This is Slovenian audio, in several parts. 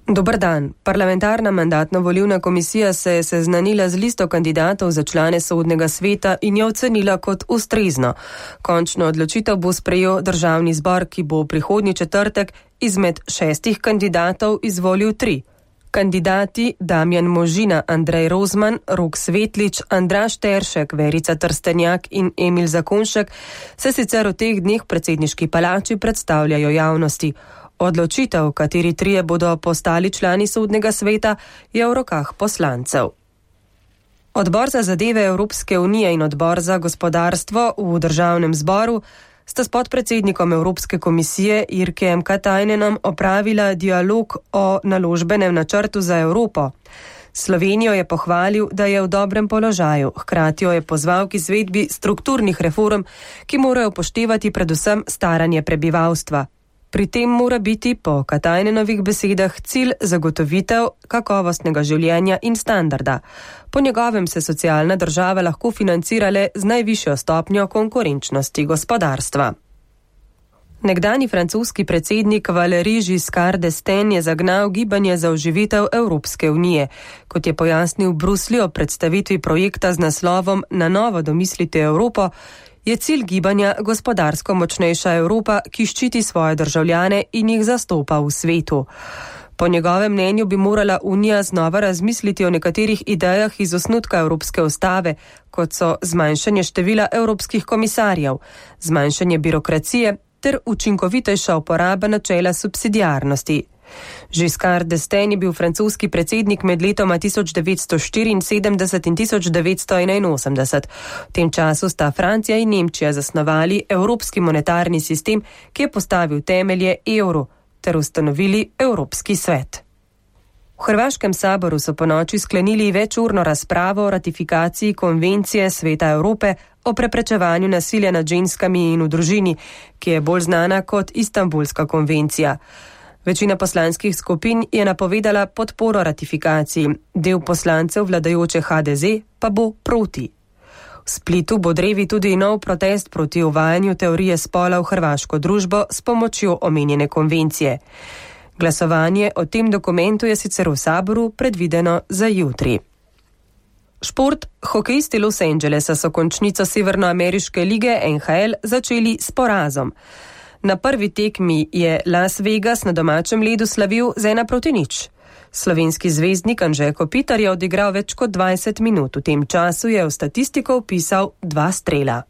Dober dan. Parlamentarna mandatno-volilna komisija se je seznanila z listo kandidatov za člane sodnega sveta in jo ocenila kot ustrezno. Končno odločitev bo sprejel državni zbor, ki bo prihodnji četrtek izmed 6 kandidatov izvolil 3. Kandidati Damjan Možina, Andrej Rozman, Rok Svetlič, Andraž Teršek, Verica Trstenjak in Emil Zakonšek se sicer v teh dneh v predsedniški palači predstavljajo javnosti. Odločitev, kateri 3 bodo postali člani sodnega sveta, je v rokah poslancev. Odbor za zadeve Evropske unije in odbor za gospodarstvo v državnem zboru sta s podpredsednikom Evropske komisije Jirkejem Katajnenom opravila dialog o naložbenem načrtu za Evropo. Slovenijo je pohvalil, da je v dobrem položaju, hkrati jo je pozval k izvedbi strukturnih reform, ki morajo upoštevati predvsem staranje prebivalstva. Pri tem mora biti po Katajnenovih besedah cilj zagotovitev kakovostnega življenja in standarda. Po njegovem se socialna država lahko financira le z najvišjo stopnjo konkurenčnosti gospodarstva. Nekdanji francoski predsednik Valéry Giscard d'Estaing je zagnal gibanje za oživitev Evropske unije. Kot je pojasnil v Bruslju o predstavitvi projekta z naslovom Na novo domislite Evropo, je cilj gibanja gospodarsko močnejša Evropa, ki ščiti svoje državljane in jih zastopa v svetu. Po njegovem mnenju bi morala Unija znova razmisliti o nekaterih idejah iz osnutka Evropske ustave, kot so zmanjšanje števila evropskih komisarjev, zmanjšanje birokracije ter učinkovitejša uporaba načela subsidiarnosti. Giscard d'Estaing je bil francoski predsednik med letoma 1974 in 1981. V tem času sta Francija in Nemčija zasnovali evropski monetarni sistem, ki je postavil temelje evru, ter ustanovili Evropski svet. V Hrvaškem saboru so ponoči sklenili večurno razpravo o ratifikaciji konvencije Sveta Evrope o preprečevanju nasilja nad ženskami in v družini, ki je bolj znana kot Istanbulska konvencija. Večina poslanskih skupin je napovedala podporo ratifikaciji, del poslancev vladajoče HDZ pa bo proti. V Splitu bo drevi tudi nov protest proti uvajanju teorije spola v hrvaško družbo s pomočjo omenjene konvencije. Glasovanje o tem dokumentu je sicer v saboru predvideno za jutri. Šport. Hokejisti Los Angelesa so končnico severnoameriške lige NHL začeli s porazom. Na prvi tekmi je Las Vegas na domačem ledu slavil z 1-0. Slovenski zvezdnik Anže Kopitar je odigral več kot 20 minut. V tem času je v statistiko vpisal 2 strela.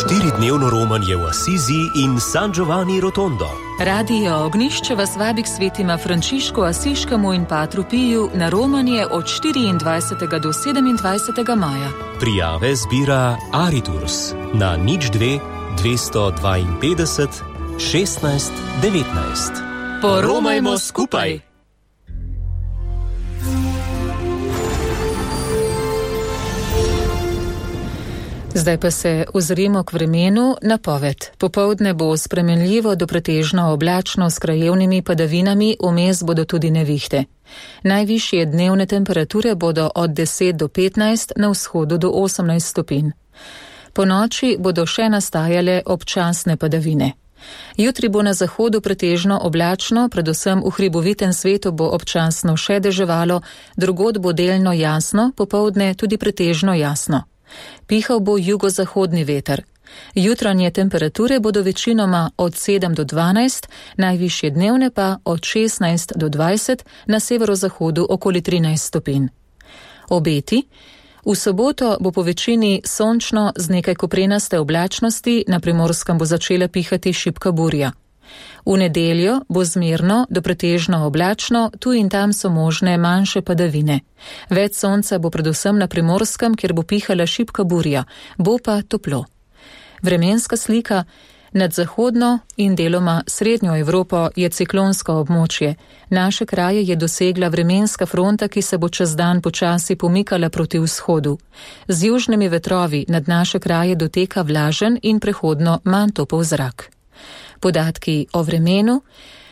Štiridnevno romanje v Asizi in San Giovanni Rotondo. Radio Ognjišče vas vabi k svetima Frančišku Asiškemu in Patru Piju na romanje od 24. do 27. maja. Prijave zbira Ariturs na 02 252 16 19. Poromajmo skupaj! Zdaj pa se ozremo k vremenu. Napoved. Popoldne bo spremenljivo do pretežno oblačno s krajevnimi padavinami, vmes bodo tudi nevihte. Najvišje dnevne temperature bodo od 10 do 15, na vzhodu do 18 stopinj. Po noči bodo še nastajale občasne padavine. Jutri bo na zahodu pretežno oblačno, predvsem v hribovitem svetu bo občasno še deževalo, drugod bo delno jasno, popoldne tudi pretežno jasno. Pihal bo jugozahodni veter. Jutranje temperature bodo večinoma od 7 do 12, najvišje dnevne pa od 16 do 20, na severozahodu okoli 13 stopinj. Obeti. V soboto bo po večini sončno z nekaj koprenaste oblačnosti, na Primorskem bo začela pihati šibka burja. V nedeljo bo zmerno do pretežno oblačno, tu in tam so možne manjše padavine. Več sonca bo predvsem na Primorskem, kjer bo pihala šibka burja, bo pa toplo. Vremenska slika. Nad zahodno in deloma srednjo Evropo je ciklonsko območje. Naše kraje je dosegla vremenska fronta, ki se bo čez dan počasi pomikala proti vzhodu. Z južnimi vetrovi nad naše kraje doteka vlažen in prehodno manj topel zrak. Podatki o vremenu.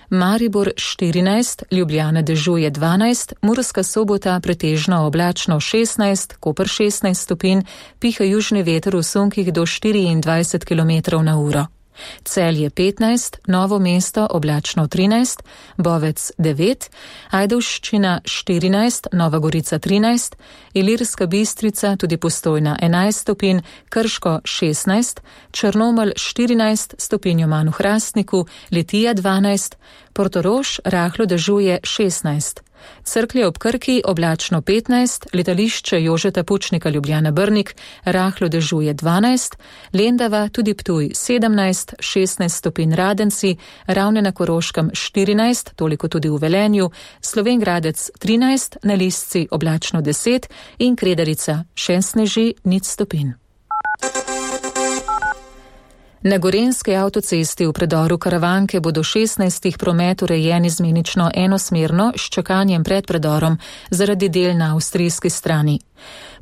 Maribor 14, Ljubljana dežuje 12, Murska Sobota pretežno oblačno 16, Koper 16 stopinj, piha južni veter v sunkih do 24 km/h. Celje 15, Novo mesto oblačno 13, Bovec 9, Ajdovščina 14, Nova Gorica 13, Ilirska Bistrica tudi Postojna 11 stopinj, Krško 16, Črnomelj 14 stopinj manj v Hrastniku, Litija 12, Portorož rahlo dežuje 16. Cerklje ob Krki oblačno 15, letališče Jožeta Pučnika Ljubljana Brnik rahlo dežuje 12, Lendava tudi Ptuj 17, 16 stopinj Radenci, Ravne na Koroškem 14, toliko tudi v Velenju, Slovenj Gradec 13, na Lisci oblačno 10 in Kredarica še sneži 0 stopinj. Na Gorenjski avtocesti v predoru Karavanke bodo 16 promet urejen izmenično enosmerno s čakanjem pred predorom zaradi del na avstrijski strani.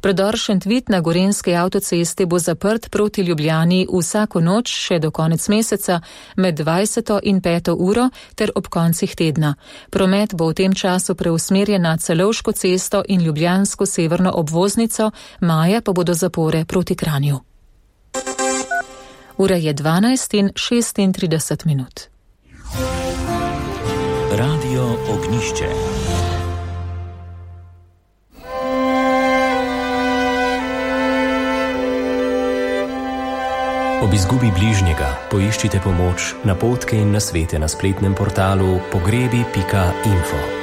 Predor Šentvid na Gorenjski avtocesti bo zaprt proti Ljubljani vsako noč še do konec meseca med 20. in 5. uro ter ob koncih tedna. Promet bo v tem času preusmerjen na Celovško cesto in Ljubljansko severno obvoznico, maja pa bodo zapore proti Kranju. Ura je 12:36. Radio Ognjišče. Ob izgubi bližnjega poiščite pomoč, napotke in nasvete na spletnem portalu pogrebi.info.